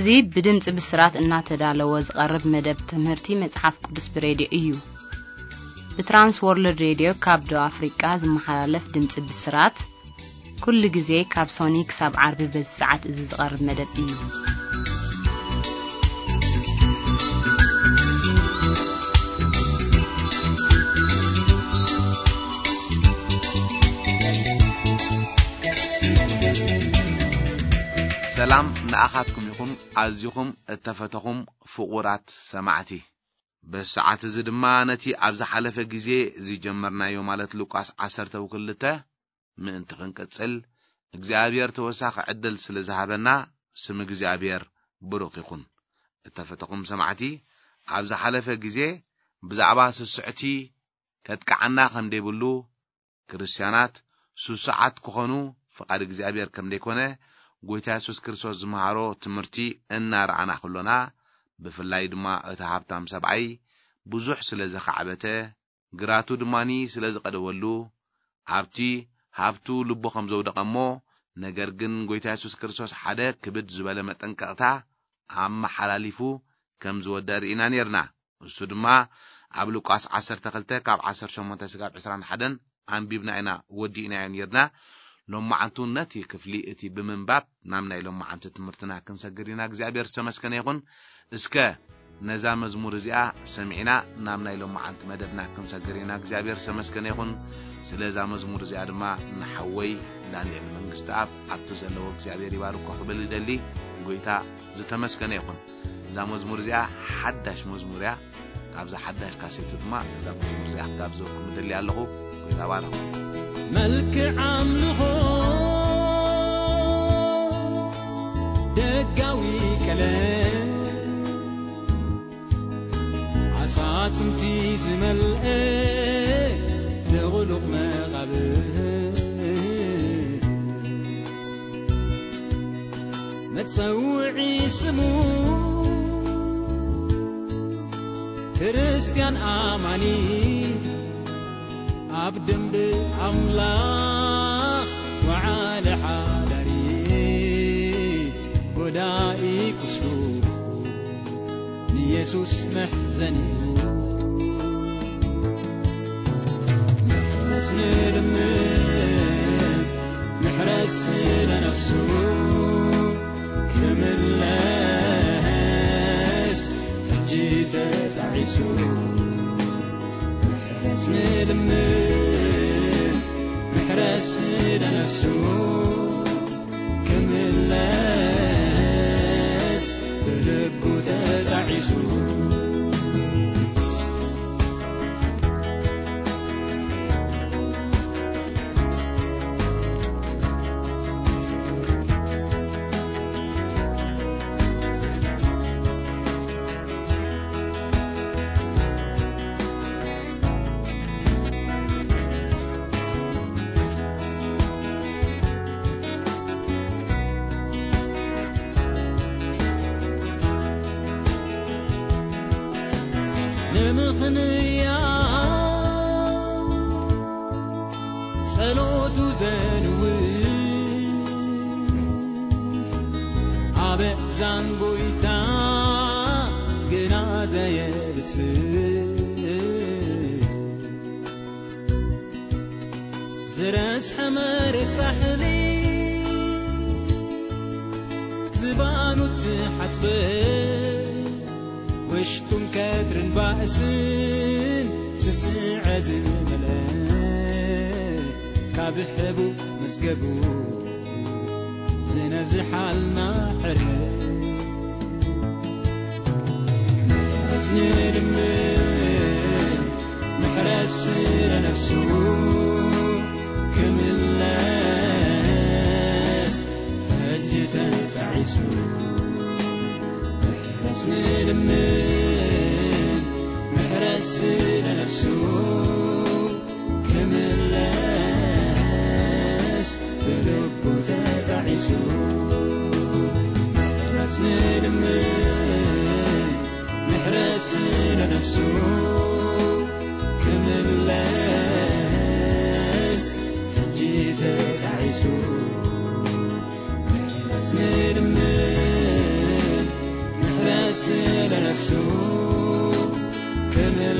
እዚ ብድምጺ ብስራት እናተዳለወ ዝቐርብ መደብ ትምህርቲ መጽሓፍ ቅዱስ ብሬድዮ እዩ። ብትራንስ ወርልድ ሬድዮ ካብ ደቡብ ኣፍሪቃ ዝመሓላለፍ ድምጺ ብስራት፣ ኩሉ ግዜ ካብ ሶኒ ክሳብ ዓርቢ በዚ ሰዓት እዚ ዝቐርብ መደብ እዩ። ሰላም ንኣኻትኩም ይኹን፣ ኣዚኹም እተፈተኹም ፍቑራት ሰማዕቲ። በዚ ሰዓት እዚ ድማ ነቲ ኣብ ዝሓለፈ ግዜ ዝጀመርናዮ፣ ማለት ሉቃስ ዓሰርተ ክልተ ምእንቲ ክንቅጽል፣ እግዚኣብሔር ተወሳኺ ዕድል ስለ ዝሃበና፣ ስም እግዚኣብሔር ብሩኽ ይኹን። እተፈተኹም ሰማዕቲ፣ ኣብ ዝሓለፈ ግዜ ብዛዕባ ስስዕቲ ከጥቅዓና ከም ደይብሉ፣ ክርስትያናት ስሱዓት ክኾኑ ፍቓድ እግዚኣብሔር ከም ደይኮነ፣ ጎይታ የሱስ ክርስቶስ ዝመሃሮ ትምህርቲ እናረኣና ከሎና፣ ብፍላይ ድማ እቲ ሃብታም ሰብኣይ ብዙሕ ስለ ዘኻዕበተ፣ ግራቱ ድማኒ ስለ ዝቐደወሉ፣ ኣብቲ ሃብቱ ልቡ ከም ዘውደቐ እሞ፣ ነገር ግን ጎይታ የሱስ ክርስቶስ ሓደ ክብድ ዝበለ መጠንቀቕታ ኣመሓላሊፉ ከም ዝወደአ ርኢና ኔርና። እሱ ድማ ኣብ ሉቃስ ዓሰርተ ክልተ ካብ ዓሰርተ ሸሞንተ ስጋብ ዕስራን ሓደን ኣንቢብና ኢና፣ ወዲእናዮ ኔርና። ሎማዓንቱ ነቲ ክፍሊ እቲ ብምንባብ ናብ ናይ ሎማዓንቲ ትምህርትና ክንሰግር ኢና። እግዚኣብሔር ዝተመስገነ ይኹን። እስከ ነዛ መዝሙር እዚኣ ሰሚዕና ናብ ናይ ሎማዓንቲ መደብና ክንሰግር ኢና። እግዚኣብሔር ዝተመስገነ ይኹን። ስለ እዛ መዝሙር እዚኣ ድማ ንሓወይ ዳንኤል መንግስትኣብ ኣብቲ ዘለዎ እግዚኣብሔር ይባርኮ ክብል ይደሊ። ጎይታ ዝተመስገነ ይኹን። እዛ መዝሙር እዚኣ ሓዳሽ መዝሙር እያ። ካብዛ ሓዳሽ ካሴት ድማ እዛ መዝሙር እዚኣ ክጋብዘኩም እደሊ ኣለኹ። ጎይታ ባርኹ። መልክዕ ኣምልኾ፣ ደጋዊ ቀለም፣ ኣጻጽምቲ ዝመልአ ልቕሉቕ መቓብር፣ መጸውዒ ስሙ ክርስትያን ኣማኒ፣ ኣብ ደንብ ኣምላኽ ወዓለ ሓዳሪ፣ ጎዳኢ ቁስሉ ንየሱስ መሕዘኒኡ። ምሕረት ንልምን፣ ምሕረት ስለ ነፍሱ ክምለስ ሕጂ ተጣዒሱ። ምሕረት ንልምን፣ ምሕረት ስለ ነፍሱ ክምለስ ብልቡ ተጣዒሱ። ንምኽንያት ጸሎቱ ዘንውር፣ ኣብ እዛን ጎይታ ግና ዘየብጽሕ፣ ዝረስሐ መሬት ጻሕሊ ዝባኑ ትሓጽበ፣ ውሽጡን ከድርን ባእስን ስስዐ ዝመልአ፣ ካብ ሕቡእ መዝገቡ ዝነዝሓልና ሕረ። ምሕረት ንልምን፣ ምሕረት ስለ ነፍሱ ክምለስ ሕጂ ተጣዒሱ። ምሕረት ንልምን፣ ምሕረት ስለ ነፍሱ ክምለስ ብልቡ ተጣዒሱ። ምሕረት ንልምን፣ ምሕረት ስለ ነፍሱ ክምለስ ሕጂ ተጣዒሱ። ምሕረት ንልምን፣ ስለ ነፍሱ ክምለስ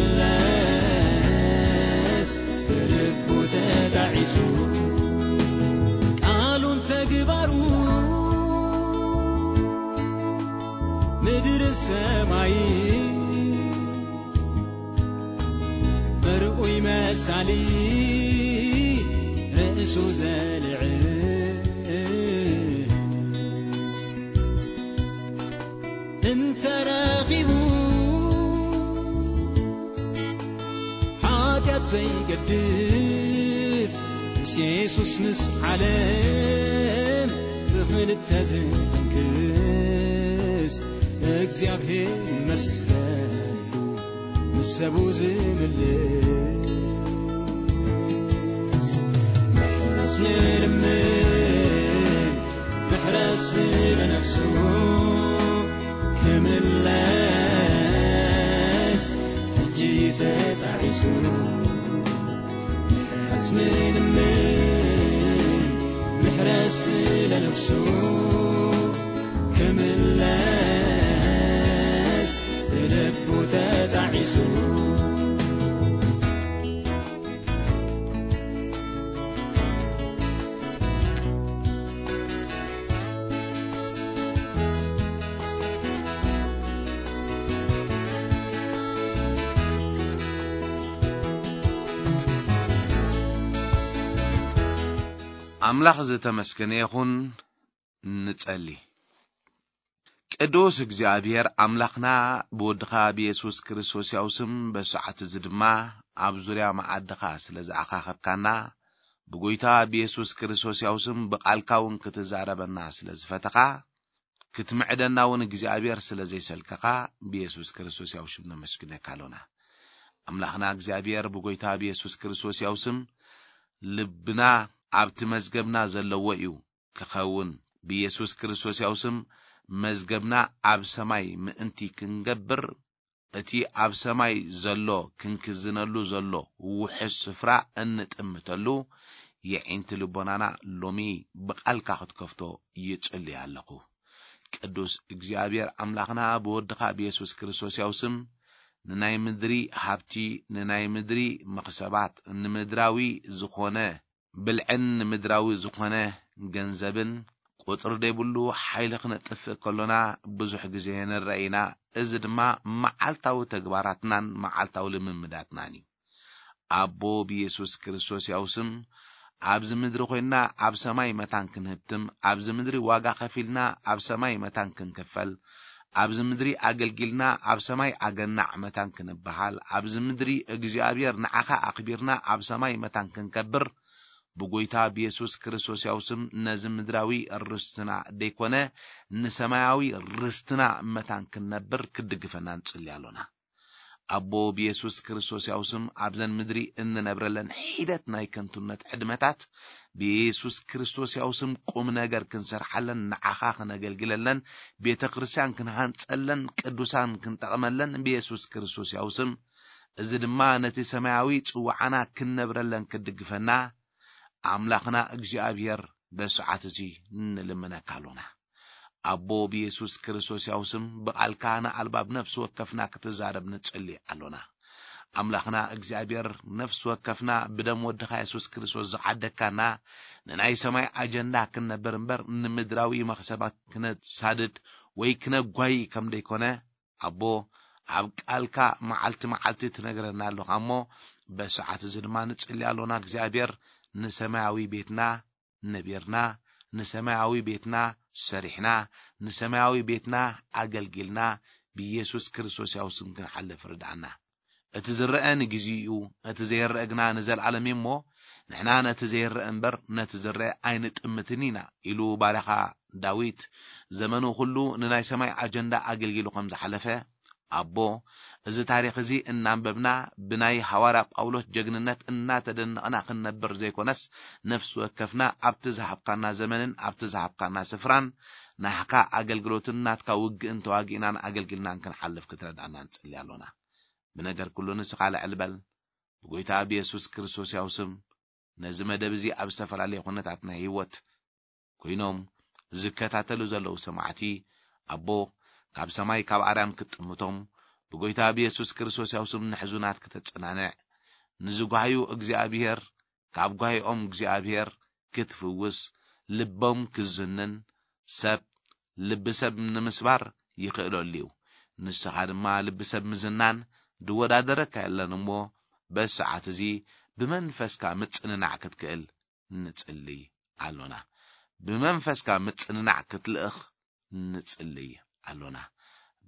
ብልቡ ተጣዒሱ፣ ቃሉን ተግባሩ ምድርን ሰማይ መርኡይ መሳሊ ርእሱ ዘልዕል እንተረኺቡ፣ ሓጢኣት ዘይገድፍ ምስ የሱስ ምስ ዓለም ብኽልተ ዝፍንክስ፣ እግዚኣብሔር ይመስገን፣ ምስ ሰቡ ዝምልስ። ምሕረት ንልምን፣ ምሕረት ስለ ነፍሱ ክምለስ ሕጂ ተጣዒሱ። ምሕረት ንልምን፣ ምሕረት ስለ ነፍሱ ክምለስ ብልቡ ተጣዒሱ። ኣምላኽ ዝተመስገነ ይኹን። ንጸሊ። ቅዱስ እግዚኣብሔር ኣምላኽና፣ ብወድኻ ብየሱስ ክርስቶስ ያው ስም በሰዓት እዚ ድማ ኣብ ዙርያ መዓድኻ ስለ ዝኣኻኸብካና፣ ብጎይታ ብየሱስ ክርስቶስ ያው ስም ብቓልካ እውን ክትዛረበና ስለ ዝፈተኻ፣ ክትምዕደና እውን እግዚኣብሔር ስለ ዘይሰልከኻ፣ ብየሱስ ክርስቶስ ያው ሽም ነመስግነካ ኣሎና። ኣምላኽና እግዚኣብሔር፣ ብጎይታ ብየሱስ ክርስቶስ ያው ስም ልብና ኣብቲ መዝገብና ዘለዎ እዩ ክኸውን። ብየሱስ ክርስቶስ ያው ስም መዝገብና ኣብ ሰማይ ምእንቲ ክንገብር፣ እቲ ኣብ ሰማይ ዘሎ ክንክዝነሉ ዘሎ ውሑስ ስፍራ እንጥምተሉ የዒንቲ ልቦናና ሎሚ ብቓልካ ክትከፍቶ ይጽሊ ኣለኹ። ቅዱስ እግዚኣብሔር ኣምላኽና፣ ብወድኻ ብየሱስ ክርስቶስ ያው ስም ንናይ ምድሪ ሃብቲ፣ ንናይ ምድሪ መኽሰባት፣ ንምድራዊ ዝኾነ ብልዕን ንምድራዊ ዝኾነ ገንዘብን ቁጽሪ ዘይብሉ ሓይሊ ክነጥፍእ ከሎና ብዙሕ ግዜ ንረአ ኢና። እዚ ድማ መዓልታዊ ተግባራትናን መዓልታዊ ልምምዳትናን እዩ። ኣቦ ብየሱስ ክርስቶስ ያው ስም ኣብዚ ምድሪ ኮይንና ኣብ ሰማይ መታን ክንህብትም፣ ኣብዚ ምድሪ ዋጋ ከፊልና ኣብ ሰማይ መታን ክንክፈል፣ ኣብዚ ምድሪ ኣገልጊልና ኣብ ሰማይ ኣገናዕ መታን ክንበሃል፣ ኣብዚ ምድሪ እግዚኣብሔር ንዓኻ ኣኽቢርና ኣብ ሰማይ መታን ክንከብር፣ ብጎይታ ብየሱስ ክርስቶስ ያው ስም ነዚ ምድራዊ ርስትና ደይኮነ ንሰማያዊ ርስትና መታን ክንነብር ክትድግፈና ንጽሊ ኣሎና። ኣቦ ብየሱስ ክርስቶስ ያው ስም ኣብዘን ምድሪ እንነብረለን ሒደት ናይ ከንቱነት ዕድመታት ብየሱስ ክርስቶስ ያው ስም ቁም ነገር ክንሰርሓለን ንዓኻ ክነገልግለለን ቤተ ክርስቲያን ክንሃንጸለን ቅዱሳን ክንጠቕመለን ብየሱስ ክርስቶስ ያው ስም እዚ ድማ ነቲ ሰማያዊ ጽዋዓና ክንነብረለን ክድግፈና ኣምላኽና እግዚኣብሔር በሰዓት እዚ ንልምነካ ኣሎና። ኣቦ ብየሱስ ክርስቶስ ያው ስም ብቓልካ ንኣልባብ ነፍሲ ወከፍና ክትዛረብ ንጽሊ ኣሎና። ኣምላኽና እግዚኣብሔር ነፍሲ ወከፍና ብደም ወድኻ የሱስ ክርስቶስ ዝዓደግካና ንናይ ሰማይ ኣጀንዳ ክንነብር እምበር ንምድራዊ መኽሰባት ክነሳድድ ወይ ክነጓይ ከም ደይኮነ ኣቦ ኣብ ቃልካ መዓልቲ መዓልቲ ትነግረና ኣለኻ እሞ በሰዓት እዚ ድማ ንጽሊ ኣሎና እግዚኣብሔር ንሰማያዊ ቤትና ነቢርና ንሰማያዊ ቤትና ሰሪሕና ንሰማያዊ ቤትና ኣገልጊልና ብኢየሱስ ክርስቶስ ያው ስም ክንሓልፍ ርድኣና። እቲ ዝረአ ንግዜኡ እቲ ዘይረአ ግና ንዘለኣለም እዩ እሞ ንሕና ነቲ ዘይረአ እምበር ነቲ ዝረአ ኣይንጥምትን ኢና ኢሉ ባርያኻ ዳዊት ዘመኑ ኩሉ ንናይ ሰማይ ኣጀንዳ ኣገልጊሉ ከም ዝሓለፈ ኣቦ እዚ ታሪኽ እዚ እናንበብና ብናይ ሃዋርያ ጳውሎስ ጀግንነት እናተደነቕና ክንነብር ዘይኮነስ ነፍሲ ወከፍና ኣብቲ ዝሃብካና ዘመንን ኣብቲ ዝሃብካና ስፍራን ናህካ ኣገልግሎትን ናትካ ውግእን ተዋጊእናን ኣገልግልናን ክንሓልፍ ክትረድኣና ንጽሊ ኣሎና። ብነገር ኩሉ ንስኻ ልዕል በል። ብጎይታ ብየሱስ ክርስቶስ ያው ስም ነዚ መደብ እዚ ኣብ ዝተፈላለየ ኩነታት ናይ ህይወት ኮይኖም ዝከታተሉ ዘለዉ ሰማዕቲ ኣቦ ካብ ሰማይ ካብ ኣርያም ክትጥምቶም፣ ብጎይታ ብየሱስ ክርስቶስ ያው ስም ንሕዙናት ክተጸናንዕ፣ ንዝጓህዩ እግዚኣብሔር ካብ ጓሂኦም እግዚኣብሔር ክትፍውስ፣ ልቦም ክዝንን፣ ሰብ ልቢ ሰብ ንምስባር ይኽእለሉ እዩ። ንስኻ ድማ ልቢ ሰብ ምዝናን ዝወዳደረካ የለን እሞ፣ በዚ ሰዓት እዚ ብመንፈስካ ምጽንናዕ ክትክእል ንጽልይ ኣሎና። ብመንፈስካ ምጽንናዕ ክትልእኽ ንጽልይ ኣሎና።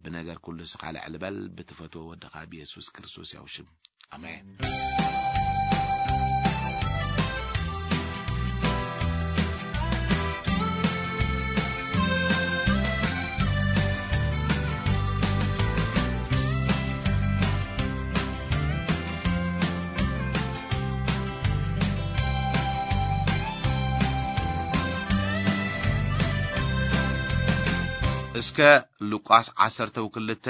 ብነገር ኩሉ ስኻ ልዕል በል፣ ብትፈትዎ ወድኻ ብየሱስ ክርስቶስ ያው ሽም። ኣሜን። እስከ ሉቃስ ዓሰርተ ክልተ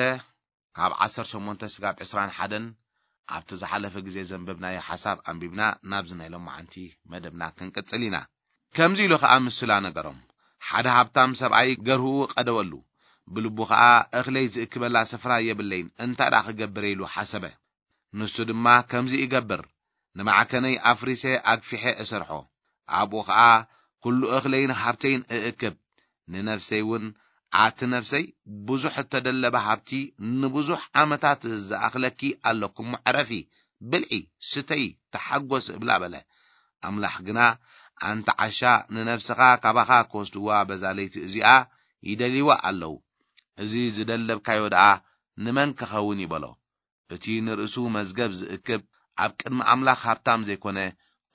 ካብ ዓሰርተ ሸሞንተ ስጋብ ዕስራን ሓደን ኣብቲ ዝሓለፈ ግዜ ዘንበብናዮ ሓሳብ ኣንቢብና ናብዚ ናይ ሎማዓንቲ መደብና ክንቅጽል ኢና። ከምዚ ኢሉ ኸኣ ምስላ ነገሮም። ሓደ ሃብታም ሰብኣይ ገርህኡ ቀደወሉ። ብልቡ ኸኣ እኽለይ ዝእክበላ ስፍራ የብለይን፣ እንታይ ደኣ ክገብር ኢሉ ሓሰበ። ንሱ ድማ ከምዚ ይገብር፣ ንማዕከነይ ኣፍሪሰ ኣግፊሐ እሰርሖ፣ ኣብኡ ኸኣ ኩሉ እኽለይን ሃብተይን እእክብ፣ ንነፍሰይ እውን ኣቲ ነፍሰይ ብዙሕ እተደለበ ሃብቲ ንብዙሕ ዓመታት ዝኣኽለኪ ኣለኩሞ ዕረፊ፣ ብልዒ፣ ስተይ፣ ተሓጎስ እብላ በለ። ኣምላኽ ግና ኣንቲ ዓሻ ንነፍስኻ ካባኻ ክወስድዋ በዛ ለይቲ እዚኣ ይደልይዋ ኣለዉ። እዚ ዝደለብካዮ ደኣ ንመን ክኸውን ይበሎ። እቲ ንርእሱ መዝገብ ዝእክብ ኣብ ቅድሚ ኣምላኽ ሃብታም ዘይኮነ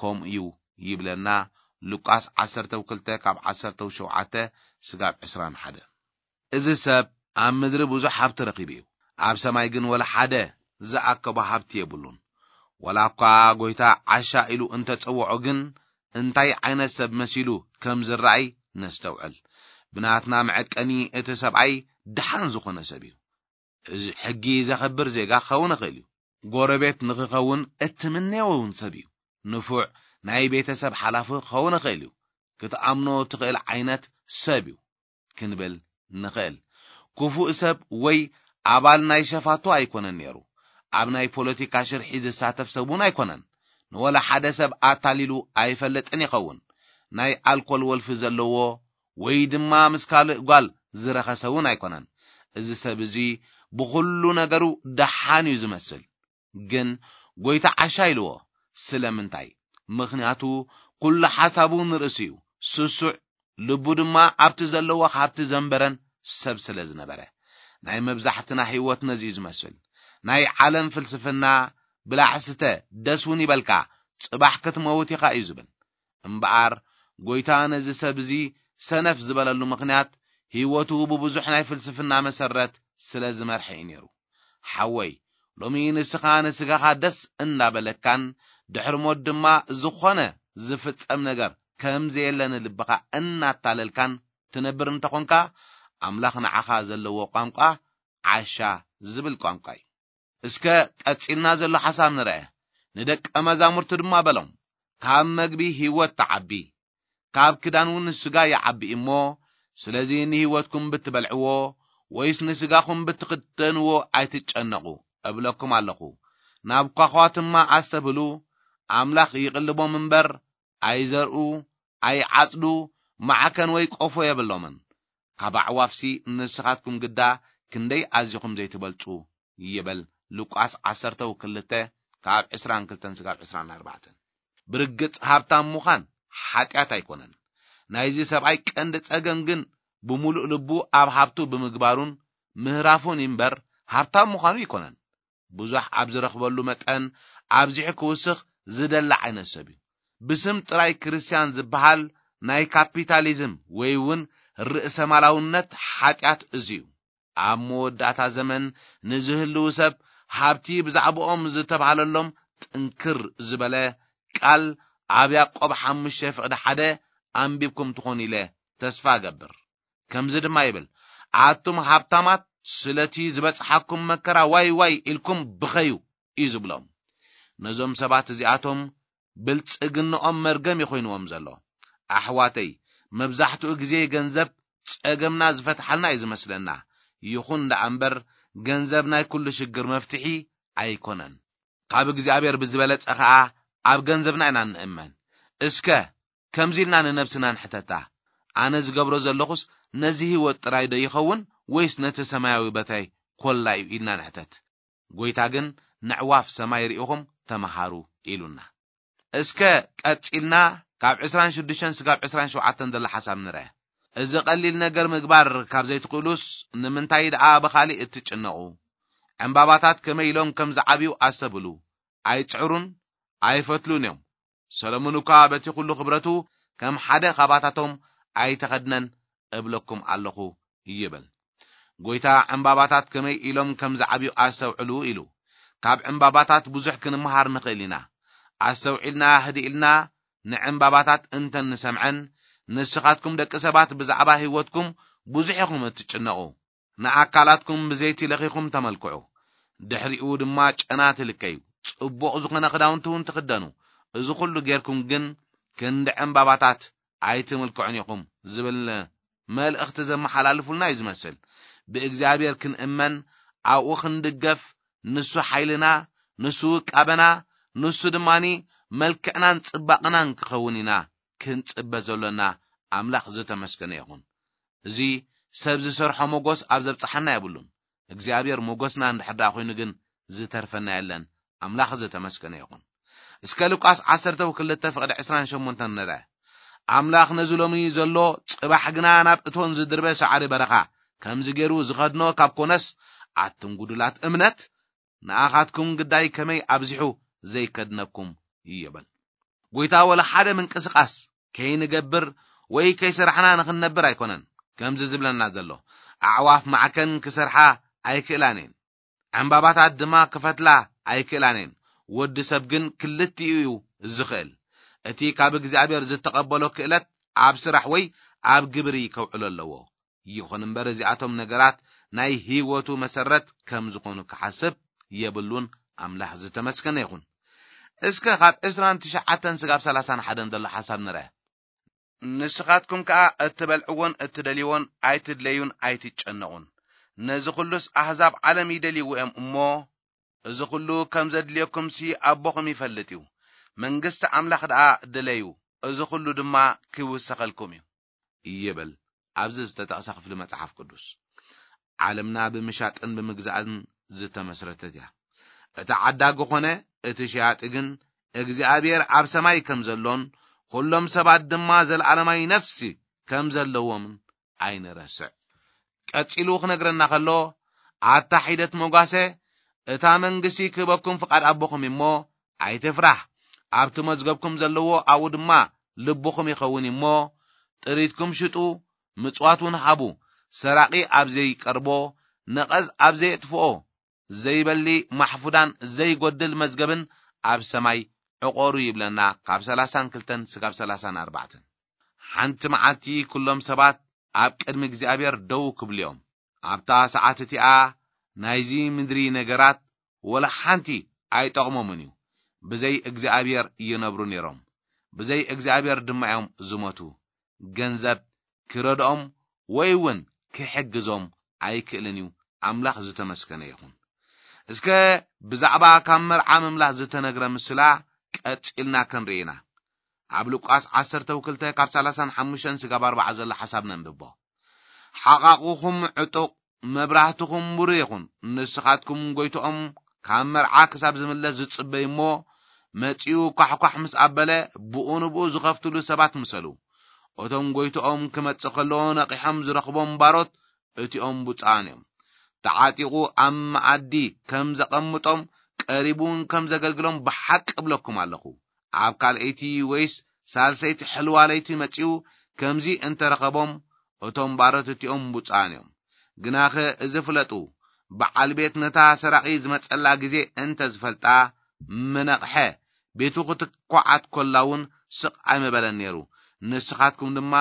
ከምኡ እዩ ይብለና። ሉቃስ ዓሰርተ ክልተ ካብ ዓሰርተ ሸውዓተ ስጋብ ዕስራን ሓደ። እዚ ሰብ ኣብ ምድሪ ብዙሕ ሃብቲ ረኺቡ እዩ፣ ኣብ ሰማይ ግን ወላ ሓደ ዝኣከቦ ሃብቲ የብሉን። ወላ እኳ ጎይታ ዓሻ ኢሉ እንተጸውዖ ግን እንታይ ዓይነት ሰብ መሲሉ ከም ዝረኣይ ነስተውዕል። ብናትና መዐቀኒ እቲ ሰብኣይ ደሓን ዝኾነ ሰብ እዩ። እዚ ሕጊ ዘኸብር ዜጋ ክኸውን ይኽእል እዩ። ጎረቤት ንኽኸውን እትምነዮ እውን ሰብ እዩ። ንፉዕ ናይ ቤተሰብ ሓላፊ ክኸውን ይኽእል እዩ። ክትኣምኖ ትኽእል ዓይነት ሰብ እዩ ክንብል ንኽእል። ክፉእ ሰብ ወይ ኣባል ናይ ሸፋቱ ኣይኮነን ነይሩ። ኣብ ናይ ፖለቲካ ሽርሒ ዝሳተፍ ሰብ እውን ኣይኮነን። ንወላ ሓደ ሰብ ኣታሊሉ ኣይፈልጥን ይኸውን። ናይ ኣልኮል ወልፊ ዘለዎ ወይ ድማ ምስ ካልእ ጓል ዝረኸሰ እውን ኣይኮነን። እዚ ሰብ እዚ ብኹሉ ነገሩ ደሓን እዩ ዝመስል። ግን ጎይታ ዓሻ ኢልዎ። ስለምንታይ? ምኽንያቱ ኩሉ ሓሳቡ ንርእሱ እዩ። ስሱዕ ልቡ ድማ ኣብቲ ዘለዎ ሃብቲ ዘንበረን ሰብ ስለ ዝነበረ። ናይ መብዛሕትና ህይወት ነዚ እዩ ዝመስል። ናይ ዓለም ፍልስፍና ብላዕ ስተ፣ ደስ እውን ይበልካ፣ ጽባሕ ክትመውት ኢኻ እዩ ዝብል። እምበኣር ጎይታ ነዚ ሰብ እዚ ሰነፍ ዝበለሉ ምኽንያት ህይወቱ ብብዙሕ ናይ ፍልስፍና መሰረት ስለ ዝመርሐ እዩ ነይሩ። ሓወይ፣ ሎሚ ንስኻ ንስጋኻ ደስ እንዳበለካን ድሕሪ ሞት ድማ ዝኾነ ዝፍጸም ነገር ከም ዘየለ ንልብኻ እናታለልካን ትነብር እንተኾንካ፣ ኣምላኽ ንዓኻ ዘለዎ ቋንቋ ዓሻ ዝብል ቋንቋ እዩ። እስከ ቀጺልና ዘሎ ሓሳብ ንርአ። ንደቀ መዛሙርቱ ድማ በሎም፣ ካብ መግቢ ህይወት ትዓቢ፣ ካብ ክዳን እውን ስጋ ይዓቢ እሞ፣ ስለዚ ንህይወትኩም ብትበልዕዎ ወይስ ንስጋኹም ብትኽደንዎ ኣይትጨነቑ እብለኩም ኣለኹ። ናብ ኳዃትማ ኣስተብህሉ፣ ኣምላኽ ይቕልቦም እምበር ኣይዘርኡ፣ ኣይዓጽዱ፣ ማዕከን ወይ ቆፎ የብሎምን። ካብ ኣዕዋፍሲ ንስኻትኩም ግዳ ክንደይ ኣዚኹም ዘይትበልጹ ይበል። ሉቃስ ዓሰርተ ክልተ ካብ ዕስራን ክልተን ስጋብ ዕስራን ኣርባዕተን። ብርግጽ ሃብታም ምዃን ሓጢኣት ኣይኮነን። ናይዚ ሰብኣይ ቀንዲ ጸገም ግን ብምሉእ ልቡ ኣብ ሃብቱ ብምግባሩን ምህራፉን እምበር ሃብታም ምዃኑ ኣይኮነን። ብዙሕ ኣብ ዝረኽበሉ መጠን ኣብዚሑ ክውስኽ ዝደሊ ዓይነት ሰብ እዩ። ብስም ጥራይ ክርስትያን ዝበሃል ናይ ካፒታሊዝም ወይ እውን ርእሰ ማላውነት ሓጢኣት እዚ እዩ። ኣብ መወዳእታ ዘመን ንዝህልው ሰብ ሃብቲ ብዛዕባኦም ዝተባህለሎም ጥንክር ዝበለ ቃል ኣብ ያዕቆብ ሓሙሽተ ፍቕዲ ሓደ ኣንቢብኩም ትኾኑ ኢለ ተስፋ እገብር። ከምዚ ድማ ይብል፣ ኣቱም ሃብታማት ስለቲ ዝበጽሓኩም መከራ ዋይ ዋይ ኢልኩም ብኸዩ እዩ ዝብሎም። ነዞም ሰባት እዚኣቶም ብልጽግንኦም መርገም ይኾይንዎም ዘሎ። ኣሕዋተይ፣ መብዛሕትኡ ግዜ ገንዘብ ጸገምና ዝፈትሓልና እዩ ዝመስለና። ይኹን ደኣ እምበር፣ ገንዘብ ናይ ኩሉ ሽግር መፍትሒ ኣይኮነን። ካብ እግዚኣብሔር ብዝበለጸ ኸኣ ኣብ ገንዘብና ኢና እንእመን። እስከ ከምዚ ኢልና ንነብስና ንሕተታ፣ ኣነ ዝገብሮ ዘለኹስ ነዚ ህይወት ጥራይ ዶ ይኸውን፣ ወይስ ነቲ ሰማያዊ በታይ ኮላ እዩ ኢልና ንሕተት። ጎይታ ግን፣ ንዕዋፍ ሰማይ ርኢኹም ተመሃሩ ኢሉና። እስከ ቀጺልና ካብ ዕስራን ሽዱሽተን ስጋብ ዕስራን ሸውዓተን ዘሎ ሓሳብ ንርአ። እዚ ቀሊል ነገር ምግባር ካብ ዘይትኽእሉስ፣ ንምንታይ ደኣ ብኻሊእ እትጭነቑ? ዕምባባታት ከመይ ኢሎም ከም ዝዓብዩ ኣስተብህሉ። ኣይጽዕሩን ኣይፈትሉን እዮም። ሰሎሞን እኳ በቲ ኩሉ ክብረቱ ከም ሓደ ኻባታቶም ኣይተኸድነን እብለኩም ኣለኹ ይብል። ጎይታ ዕምባባታት ከመይ ኢሎም ከም ዝዓብዩ ኣስተውዕሉ ኢሉ። ካብ ዕምባባታት ብዙሕ ክንመሃር ንኽእል ኢና። ኣስተውዒልና ህድእ ኢልና ንዕምባባታት እንተ ንሰምዐን፣ ንስኻትኩም ደቂ ሰባት ብዛዕባ ህይወትኩም ብዙሕ ኢኹም እትጭነቑ። ንኣካላትኩም ብዘይቲ ለኺኹም ተመልክዑ፣ ድሕሪኡ ድማ ጨና ትልከዩ፣ ጽቡቕ ዝኾነ ክዳውንቲ እውን ትኽደኑ። እዚ ኩሉ ጌርኩም ግን ክንዲ ዕምባባታት ኣይትምልክዑን ኢኹም ዝብል መልእኽቲ ዘመሓላልፉልና እዩ ዝመስል። ብእግዚኣብሔር ክንእመን፣ ኣብኡ ክንድገፍ፣ ንሱ ሓይልና፣ ንሱ ውቃበና፣ ንሱ ድማኒ መልክዕናን ጽባቕናን ክኸውን ኢና ክንጽበ ዘሎና። ኣምላኽ ዝተመስገነ ይኹን። እዚ ሰብ ዝሰርሖ መጎስ ኣብ ዘብጽሓና የብሉን። እግዚኣብሔር መጎስና እንድሕር ደኣ ኮይኑ ግን ዝተርፈና የለን። ኣምላኽ ዝተመስገነ ይኹን። እስከ ሉቃስ ዓሰርተ ክልተ ፍቕዲ ዕስራን ሸሞንተን ንርአ። ኣምላኽ ነዚ ሎሚ ዘሎ ጽባሕ ግና ናብ እቶን ዝድርበ ሳዕሪ በረኻ ከምዚ ገይሩ ዝኸድኖ ካብ ኮነስ፣ ኣቱም ጉዱላት እምነት፣ ንኣኻትኩም ግዳይ ከመይ ኣብዚሑ ዘይከድነኩም ይብል። ጎይታ ወላ ሓደ ምንቅስቓስ ከይንገብር ወይ ከይሰራሕና ንኽንነብር ኣይኮነን ከምዚ ዝብለና ዘሎ። ኣዕዋፍ ማዕከን ክሰርሓ ኣይክእላን እየን። ዕምባባታት ድማ ክፈትላ ኣይክእላን እየን። ወዲ ሰብ ግን ክልቲኡ እዩ ዝኽእል። እቲ ካብ እግዚኣብሔር ዝተቐበሎ ክእለት ኣብ ስራሕ ወይ ኣብ ግብሪ ከውዕሎ ኣለዎ። ይኹን እምበር እዚኣቶም ነገራት ናይ ህይወቱ መሰረት ከም ዝኾኑ ክሓስብ የብሉን። ኣምላኽ ዝተመስገነ ይኹን። እስከ ካብ ዕስራን ትሽዓተን ስጋብ ሰላሳን ሓደን ዘሎ ሓሳብ ንርአ። ንስኻትኩም ከኣ እትበልዕዎን እትደልይዎን ኣይትድለዩን ኣይትጨነቑን። ነዚ ኹሉስ ኣህዛብ ዓለም ይደልይዎ እዮም እሞ፣ እዚ ኹሉ ከም ዘድልየኩምሲ ኣቦኹም ይፈልጥ እዩ። መንግስቲ ኣምላኽ ደኣ ድለዩ፣ እዚ ኹሉ ድማ ክውሰኸልኩም እዩ ይብል። ኣብዚ ዝተጠቕሰ ክፍሊ መጽሓፍ ቅዱስ፣ ዓለምና ብምሻጥን ብምግዛእን ዝተመስረተት እያ። እቲ ዓዳጊ ኾነ እቲ ሸያጢ ግን እግዚኣብሔር ኣብ ሰማይ ከም ዘሎን፣ ኹሎም ሰባት ድማ ዘለዓለማዊ ነፍሲ ከም ዘለዎምን ኣይንረስዕ። ቀጺሉ ክነግረና ከሎ፣ ኣታ ሒደት መጓሰ፣ እታ መንግስቲ ክህበኩም ፍቓድ ኣቦኹም እሞ፣ ኣይትፍራህ። ኣብቲ መዝገብኩም ዘለዎ ኣብኡ ድማ ልብኹም ይኸውን እሞ፣ ጥሪትኩም ሽጡ፣ ምጽዋት እውን ሃቡ። ሰራቒ ኣብ ዘይቀርቦ፣ ነቐዝ ኣብ ዘየጥፍኦ፣ ዘይበሊ ማሕፉዳን ዘይጎድል መዝገብን ኣብ ሰማይ ዕቆሩ ይብለና፣ ካብ ሰላሳን ክልተን ስጋብ ሰላሳን ኣርባዕተን። ሓንቲ መዓልቲ ኩሎም ሰባት ኣብ ቅድሚ እግዚኣብሔር ደው ክብሉ እዮም። ኣብታ ሰዓት እቲኣ ናይዚ ምድሪ ነገራት ወላ ሓንቲ ኣይጠቕሞምን እዩ። ብዘይ እግዚኣብሔር ይነብሩ ነይሮም፣ ብዘይ እግዚኣብሔር ድማ እዮም ዝሞቱ። ገንዘብ ክረድኦም ወይ እውን ክሕግዞም ኣይክእልን እዩ። ኣምላኽ ዝተመስገነ ይኹን። እስከ ብዛዕባ ካብ መርዓ ምምላስ ዝተነግረ ምስላ ቀጺልና ክንርኢ ኢና። ኣብ ሉቃስ ዓሰርተ ክልተ ካብ ሰላሳን ሓሙሽተን ስጋብ ኣርባዓ ዘሎ ሓሳብ ነንብቦ። ሓቓቑኹም ዕጡቕ፣ መብራህትኹም ብሩህ ይኹን። ንስኻትኩም ጎይትኦም ካብ መርዓ ክሳብ ዝምለስ ዝጽበዩ እሞ፣ መጺኡ ኳሕኳሕ ምስ ኣበለ፣ ብኡ ንብኡ ዝኸፍትሉ ሰባት ምሰሉ። እቶም ጎይትኦም ክመጽእ ከሎ ነቒሖም ዝረኽቦም ባሮት እቲኦም ብፁዓን እዮም። ተዓጢቑ ኣብ መኣዲ ከም ዘቐምጦም፣ ቀሪቡ እውን ከም ዘገልግሎም ብሓቂ እብለኩም ኣለኹ። ኣብ ካልኣይቲ ወይስ ሳልሰይቲ ሕልዋ ለይቲ መጺኡ ከምዚ እንተረኸቦም፣ እቶም ባሮት እቲኦም ብፁዓን እዮም። ግናኸ እዚ ፍለጡ፣ በዓል ቤት ነታ ሰራቒ ዝመጸላ ግዜ እንተ ዝፈልጣ፣ ምነቕሐ፣ ቤቱ ክትኳዓት ኮላ እውን ስቕ ኣይምበለን ነይሩ። ንስኻትኩም ድማ፣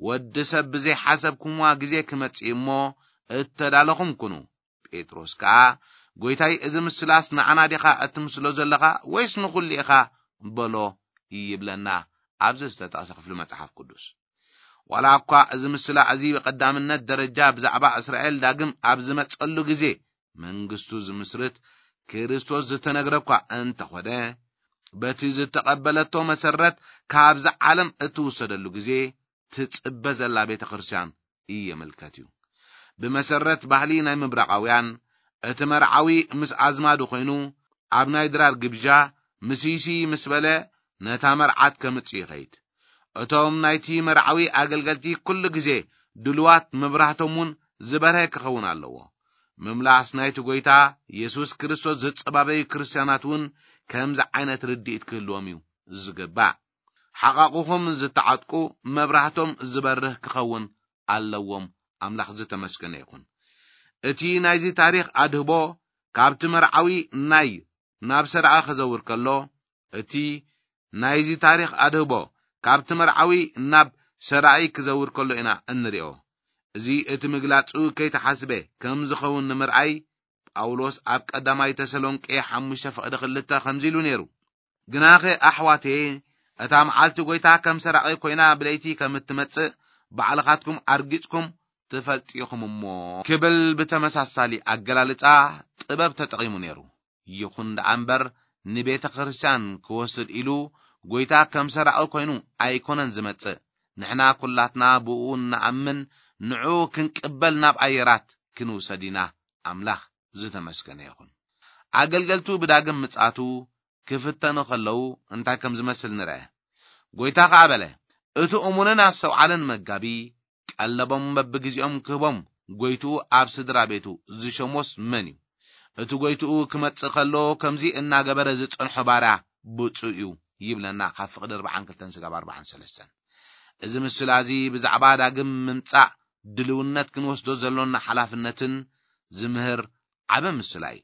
ወዲ ሰብ ብዘይሓሰብኩምዋ ግዜ ክመጽእ እሞ፣ እተዳለኹም ኩኑ። ጴጥሮስ ከኣ፣ ጎይታይ፣ እዚ ምስላስ ንዓና ዲኻ እትምስሎ ዘለኻ፣ ወይስ ንኹሉ ኢኻ? በሎ ይብለና ኣብዚ ዝተጠቕሰ ክፍሊ መጽሓፍ ቅዱስ። ዋላ እኳ እዚ ምስላ እዚ ብቐዳምነት ደረጃ ብዛዕባ እስራኤል ዳግም ኣብ ዝመጸሉ ግዜ መንግስቱ ዝምስርት ክርስቶስ ዝተነግረ እኳ እንተኾነ፣ በቲ ዝተቐበለቶ መሰረት ካብዛ ዓለም እትውሰደሉ ግዜ ትጽበ ዘላ ቤተ ክርስቲያን ይምልከት እዩ። ብመሰረት ባህሊ ናይ ምብራቓውያን፣ እቲ መርዓዊ ምስ ኣዝማዱ ኮይኑ ኣብ ናይ ድራር ግብዣ ምስይሲ ምስ በለ ነታ መርዓት ከምጽእ ይኸይድ። እቶም ናይቲ መርዓዊ ኣገልገልቲ ኩሉ ግዜ ድሉዋት፣ መብራህቶም እውን ዝበርሀ ክኸውን ኣለዎ። ምምላስ ናይቲ ጎይታ የሱስ ክርስቶስ ዝጸባበዩ ክርስትያናት እውን ከምዚ ዓይነት ርድኢት ክህልዎም እዩ ዝግባእ። ሓቓቑኹም ዝተዓጥቁ መብራህቶም ዝበርህ ክኸውን ኣለዎም። ኣምላኽ ዝተመስገነ ይኹን። እቲ ናይዚ ታሪኽ ኣድህቦ ካብቲ መርዓዊ ናይ ናብ ሰራቒ ክዘውር ከሎ፣ እቲ ናይዚ ታሪኽ ኣድህቦ ካብቲ መርዓዊ ናብ ሰራቒ ክዘውር ከሎ ኢና እንሪኦ። እዚ እቲ ምግላጹ ከይተሓስበ ከም ዝኸውን ንምርኣይ፣ ጳውሎስ ኣብ ቀዳማይ ተሰሎንቄ ሓሙሽተ ፍቕዲ ክልተ ከምዚ ኢሉ ነይሩ። ግናኸ ኣሕዋተየ፣ እታ መዓልቲ ጎይታ ከም ሰራቒ ኮይና ብለይቲ ከም እትመጽእ ባዕልኻትኩም ኣርጊጽኩም ትፈልጡ ኢኹም እሞ፣ ክብል ብተመሳሳሊ ኣገላልጻ ጥበብ ተጠቒሙ ነይሩ። ይኹን ደኣ እምበር፣ ንቤተ ክርስቲያን ክወስድ ኢሉ ጎይታ ከም ሰራቒ ኮይኑ ኣይኮነን ዝመጽእ። ንሕና ኩላትና ብኡ እንኣምን፣ ንዑ ክንቅበል ናብ ኣየራት ክንውሰድ ኢና። ኣምላኽ ዝተመስገነ ይኹን። ኣገልገልቱ ብዳግም ምጽኣቱ ክፍተኑ ከለዉ እንታይ ከም ዝመስል ንርአ። ጎይታ ኸኣ በለ፣ "እቲ እሙንን ኣስተውዓልን መጋቢ ቀለቦም በብግዜኦም ክህቦም፣ ጎይትኡ ኣብ ስድራ ቤቱ ዝሸሞስ መን እዩ? እቲ ጎይትኡ ክመጽእ ከሎ ከምዚ እናገበረ ዝጸንሖ ባርያ ብፁዕ እዩ" ይብለና፣ ካብ ፍቕዲ ኣርባዓን ክልተን ስጋብ ኣርባዓን ሰለስተን። እዚ ምስላ እዚ ብዛዕባ ዳግም ምምጻእ ድልውነት ክንወስዶ ዘሎና ሓላፍነትን ዝምህር ዓቢ ምስላ እዩ።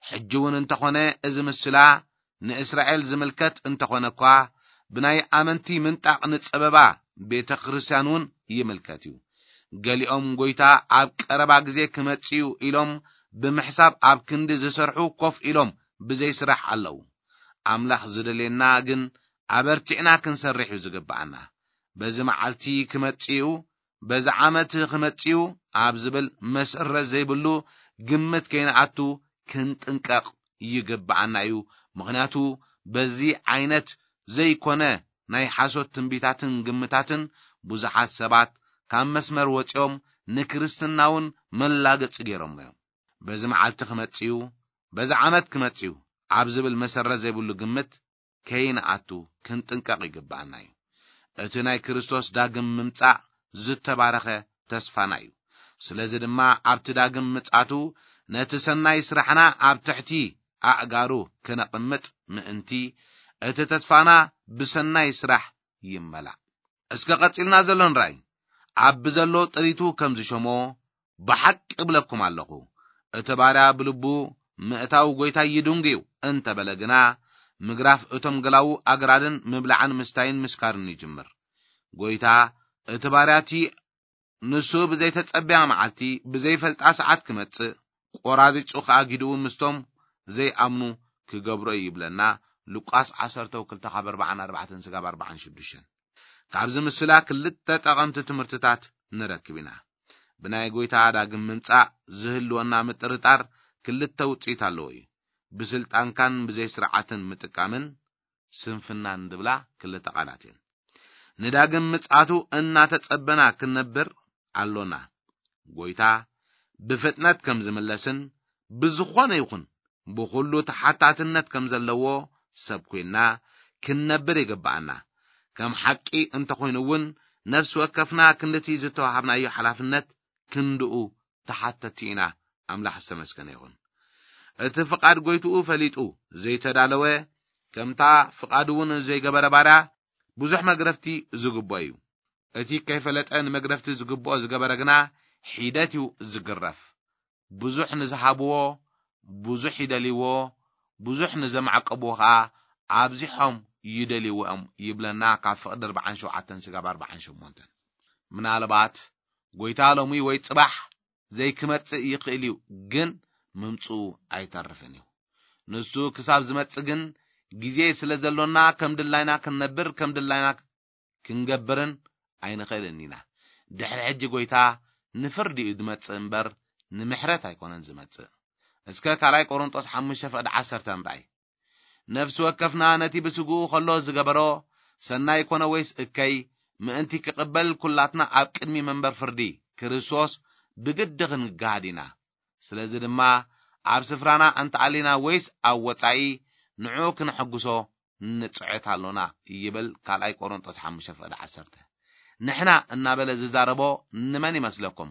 ሕጂ እውን እንተኾነ፣ እዚ ምስላ ንእስራኤል ዝምልከት እንተኾነ እኳ፣ ብናይ ኣመንቲ ምንጣቕ ንጸበባ ቤተ ክርስቲያን እውን ይምልከት እዩ። ገሊኦም ጎይታ ኣብ ቀረባ ግዜ ክመጽእ እዩ ኢሎም ብምሕሳብ ኣብ ክንዲ ዝሰርሑ ኮፍ ኢሎም ብዘይ ስራሕ ኣለዉ። ኣምላኽ ዝደልየና ግን ኣበርቲዕና ክንሰርሕ እዩ ዝግብኣና። በዚ መዓልቲ ክመጽእ እዩ፣ በዚ ዓመት ክመጽእ እዩ ኣብ ዝብል መሰረት ዘይብሉ ግምት ከይንኣቱ ክንጥንቀቕ ይግብኣና እዩ። ምኽንያቱ በዚ ዓይነት ዘይኮነ ናይ ሓሶት ትንቢታትን ግምታትን ብዙሓት ሰባት ካብ መስመር ወጺኦም ንክርስትና እውን መላገጺ ገይሮሞ እዮም። በዚ መዓልቲ ክመጽእ እዩ፣ በዚ ዓመት ክመጽእ እዩ ኣብ ዝብል መሰረት ዘይብሉ ግምት ከይንኣቱ ክንጥንቀቕ ይግብኣና እዩ። እቲ ናይ ክርስቶስ ዳግም ምምጻእ ዝተባረኸ ተስፋና እዩ። ስለዚ ድማ ኣብቲ ዳግም ምጽኣቱ ነቲ ሰናይ ስራሕና ኣብ ትሕቲ ኣእጋሩ ክነቕምጥ ምእንቲ፣ እቲ ተስፋና ብሰናይ ስራሕ ይመላእ። እስከ ቀጺልና ዘሎ ንርኣይ። ኣብ ብዘሎ ጥሪቱ ከም ዝሸሞ ብሓቂ እብለኩም ኣለኹ፣ እቲ ባርያ ብልቡ ምእታው ጎይታይ ይድንጉ እዩ እንተበለ ግና፣ ምግራፍ እቶም ገላዉ ኣግራድን ምብላዕን ምስታይን ምስካርን ይጅምር። ጎይታ፣ እቲ ባርያ እቲ ንሱ ብዘይተጸብያ መዓልቲ፣ ብዘይፈልጣ ሰዓት ክመጽእ፣ ቆራሪጹ ከኣ ጊድኡ ምስቶም ዘይኣምኑ ክገብሮ እዩ ይብለና። ሉቃስ ዓሰርተ ክልተ ካብ ኣርባዓን ኣርባዕተን ስጋብ ኣርባዓን ሽዱሽተን። ካብዚ ምስላ ክልተ ጠቐምቲ ትምህርትታት ንረክብ ኢና። ብናይ ጎይታ ዳግም ምምጻእ ዝህልወና ምጥርጣር ክልተ ውጽኢት ኣለዎ እዩ። ብስልጣንካን ብዘይ ስርዓትን ምጥቃምን ስንፍናን ዝብላ ክልተ ቃላት እየን። ንዳግም ምጽኣቱ እናተጸበና ክንነብር ኣሎና። ጎይታ ብፍጥነት ከም ዝምለስን ብዝኾነ ይኹን ብኹሉ ተሓታትነት ከም ዘለዎ ሰብ ኮይንና ክንነብር ይግብኣና። ከም ሓቂ እንተኾይኑ እውን ነፍሲ ወከፍና ክንድቲ ዝተዋሃብናዮ ሓላፍነት ክንድኡ ተሓተቲ ኢና። ኣምላኽ ዝተመስገነ ይኹን። እቲ ፍቓድ ጎይትኡ ፈሊጡ ዘይተዳለወ፣ ከምታ ፍቓዱ እውን ዘይገበረ ባርያ ብዙሕ መግረፍቲ ዝግብኦ እዩ። እቲ ከይፈለጠ ንመግረፍቲ ዝግብኦ ዝገበረ ግና ሒደት እዩ ዝግረፍ። ብዙሕ ንዝሃብዎ ብዙሕ ይደልይዎ፣ ብዙሕ ንዘማዕቀብዎ ኸኣ ኣብዚሖም ይደልይዎ እዮም ይብለና ካብ ፍቕዲ ኣርባዓን ሸውዓተን ስጋብ ኣርባዓን ሸሞንተን። ምናልባት ጎይታ ሎሚ ወይ ጽባሕ ዘይክመጽእ ይኽእል እዩ፣ ግን ምምጽኡ ኣይተርፍን እዩ። ንሱ ክሳብ ዝመጽእ ግን ግዜ ስለ ዘሎና ከም ድላይና ክንነብር፣ ከም ድላይና ክንገብርን ኣይንኽእልን ኢና። ድሕሪ ሕጂ ጎይታ ንፍርዲ እዩ ዝመጽእ እምበር ንምሕረት ኣይኮነን ዝመጽእ። እስከ ካልኣይ ቆሮንጦስ ሓሙሽተ ፍቕዲ ዓሰርተ ንርኣይ። ነፍሲ ወከፍና ነቲ ብስግኡ ከሎ ዝገበሮ ሰናይ ኮነ ወይስ እከይ ምእንቲ ክቕበል ኩላትና ኣብ ቅድሚ መንበር ፍርዲ ክርስቶስ ብግዲ ክንገሃድ ኢና። ስለዚ ድማ ኣብ ስፍራና እንተኣሊና ወይስ ኣብ ወጻኢ ንዑ ክነሐጉሶ ንጽዕት ኣሎና ይብል ካልኣይ ቆሮንጦስ ሓሙሽተ ፍቕዲ ዓሰርተ። ንሕና እናበለ ዝዛረቦ ንመን ይመስለኩም?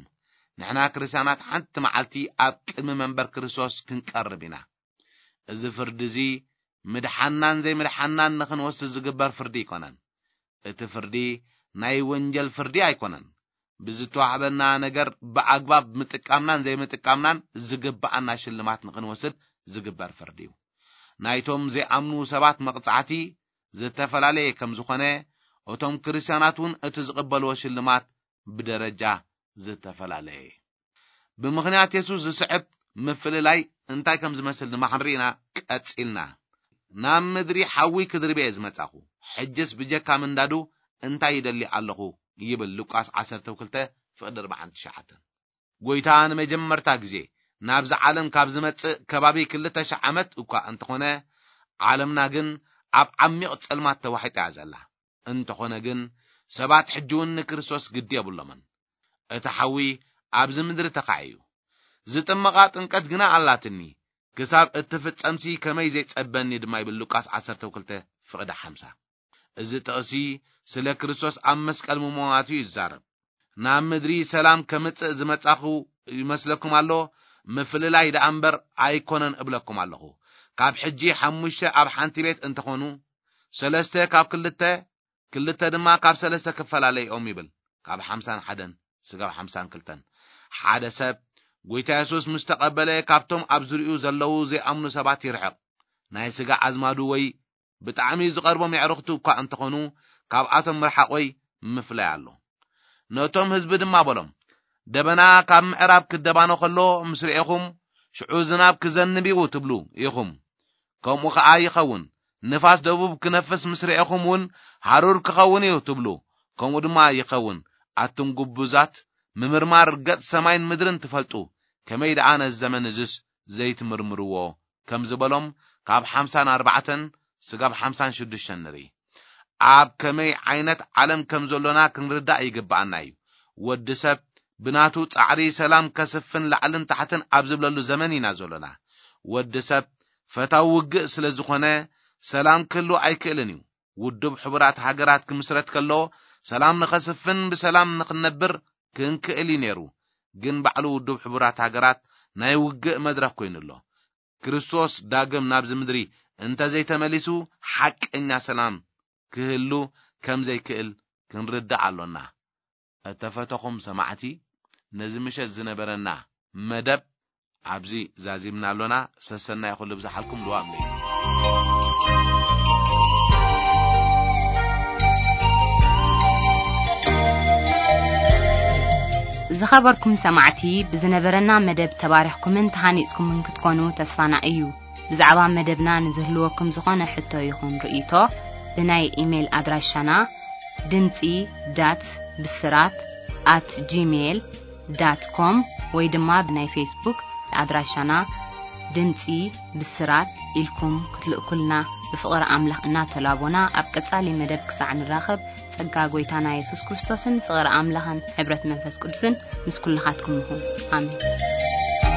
ንሕና ክርስትያናት ሓንቲ መዓልቲ ኣብ ቅድሚ መንበር ክርስቶስ ክንቀርብ ኢና። እዚ ፍርዲ እዚ ምድሓናን ዘይምድሓናን ንኽንወስድ ዝግበር ፍርዲ ኣይኮነን። እቲ ፍርዲ ናይ ወንጀል ፍርዲ ኣይኮነን። ብዝተዋህበና ነገር ብኣግባብ ምጥቃምናን ዘይምጥቃምናን ዝግብኣና ሽልማት ንኽንወስድ ዝግበር ፍርዲ እዩ። ናይቶም ዘይኣምኑ ሰባት መቕጻዕቲ ዝተፈላለየ ከም ዝኾነ፣ እቶም ክርስትያናት እውን እቲ ዝቕበልዎ ሽልማት ብደረጃ ዝተፈላለየ እዩ። ብምኽንያት የሱስ ዝስዕብ ምፍልላይ እንታይ ከም ዝመስል ድማ ክንርኢ ኢና ቀጺልና። ናብ ምድሪ ሓዊ ክድርብ እየ ዝመጻኹ፣ ሕጅስ ብጀካ ምንዳዱ እንታይ ይደሊ ኣለኹ ይብል ሉቃስ ዓሰርተ ክልተ ፍቕዲ ኣርባዓን ትሽዓተን። ጎይታ ንመጀመርታ ግዜ ናብዚ ዓለም ካብ ዝመጽእ ከባቢ ክልተ ሽሕ ዓመት እኳ እንተኾነ፣ ዓለምና ግን ኣብ ዓሚቕ ጸልማት ተዋሒጣ እያ ዘላ። እንተኾነ ግን ሰባት ሕጂ እውን ንክርስቶስ ግዲ የብሎምን። እቲ ሓዊ ኣብዚ ምድሪ ተኻዒ እዩ። ዝጥመቓ ጥምቀት ግና ኣላትኒ፣ ክሳብ እትፍጸምሲ ከመይ ዘይጸበኒ ድማ ይብል ሉቃስ ዓሰርተ ክልተ ፍቕዲ ሓምሳ። እዚ ጥቕሲ ስለ ክርስቶስ ኣብ መስቀል ምሞቱ እዩ ዝዛረብ። ናብ ምድሪ ሰላም ከምጽእ ዝመጻኹ ይመስለኩም ኣሎ፣ ምፍልላይ ደኣ እምበር ኣይኮነን እብለኩም ኣለኹ። ካብ ሕጂ ሓሙሽተ ኣብ ሓንቲ ቤት እንተኾኑ፣ ሰለስተ ካብ ክልተ፣ ክልተ ድማ ካብ ሰለስተ ክፈላለ እዮም ይብል። ካብ ሓምሳን ሓደን ስጋብ ሓምሳን ክልተን። ሓደ ሰብ ጎይታ የሱስ ምስ ተቐበለ፣ ካብቶም ኣብ ዙሪኡ ዘለዉ ዘይኣምኑ ሰባት ይርሕቕ። ናይ ስጋ ኣዝማዱ ወይ ብጣዕሚ ዝቐርቦም የዕሩኽቱ እኳ እንተኾኑ፣ ካብኣቶም ምርሓቕ ወይ ምፍላይ ኣሎ። ነቶም ህዝቢ ድማ በሎም፣ ደበና ካብ ምዕራብ ክደባኖ ከሎ ምስ ርኤኹም፣ ሽዑ ዝናብ ክዘንብ እዩ ትብሉ ኢኹም። ከምኡ ኸኣ ይኸውን። ንፋስ ደቡብ ክነፍስ ምስ ርኤኹም እውን፣ ሃሩር ክኸውን እዩ ትብሉ። ከምኡ ድማ ይኸውን። ኣቱም ግቡዛት፣ ምምርማር ገጽ ሰማይን ምድርን ትፈልጡ፣ ከመይ ደኣ ነዚ ዘመን እዝስ ዘይትምርምርዎ? ከም ዝበሎም፣ ካብ ሓምሳን ኣርባዕተን ስጋብ ሓምሳን ሽዱሽተን ንርኢ። ኣብ ከመይ ዓይነት ዓለም ከም ዘሎና ክንርዳእ ይግብኣና እዩ። ወዲ ሰብ ብናቱ ጻዕሪ ሰላም ከስፍን ላዕልን ታሕትን ኣብ ዝብለሉ ዘመን ኢና ዘሎና። ወዲ ሰብ ፈታዊ ውግእ ስለ ዝኾነ፣ ሰላም ክህሉ ኣይክእልን እዩ። ውድብ ሕቡራት ሃገራት ክምስረት ከሎ፣ ሰላም ንኸስፍን ብሰላም ንኽንነብር ክንክእል እዩ ነይሩ። ግን ባዕሉ ውድብ ሕቡራት ሃገራት ናይ ውግእ መድረኽ ኮይኑ ኣሎ። ክርስቶስ ዳግም ናብዚ ምድሪ እንተ ዘይተመሊሱ፣ ሓቀኛ ሰላም ክህሉ ከም ዘይክእል ክንርዳእ ኣሎና። እተፈተኹም ሰማዕቲ፣ ነዚ ምሸት ዝነበረና መደብ ኣብዚ ዛዚምና ኣሎና። ሰሰናይ ኩሉ ብዝሓልኩም ድዋም ለይሉ። ዝኸበርኩም ሰማዕቲ፣ ብዝነበረና መደብ ተባሪኽኩምን ተሃኒጽኩምን ክትኮኑ ተስፋና እዩ። ብዛዕባ መደብና ንዝህልወኩም ዝኾነ ሕቶ ይኹን ርእይቶ፣ ብናይ ኢሜይል ኣድራሻና ድምጺ ዳት ብስራት ኣት ጂሜይል ዳት ኮም ወይ ድማ ብናይ ፌስቡክ ኣድራሻና ድምጺ ብስራት ኢልኩም ክትልእኩልና ብፍቕሪ ኣምላኽ እናተላቦና፣ ኣብ ቀጻሊ መደብ ክሳዕ ንራኸብ፣ ጸጋ ጐይታና የሱስ ክርስቶስን ፍቕሪ ኣምላኽን ሕብረት መንፈስ ቅዱስን ምስ ኩልኻትኩም ይኹን። ኣሜን።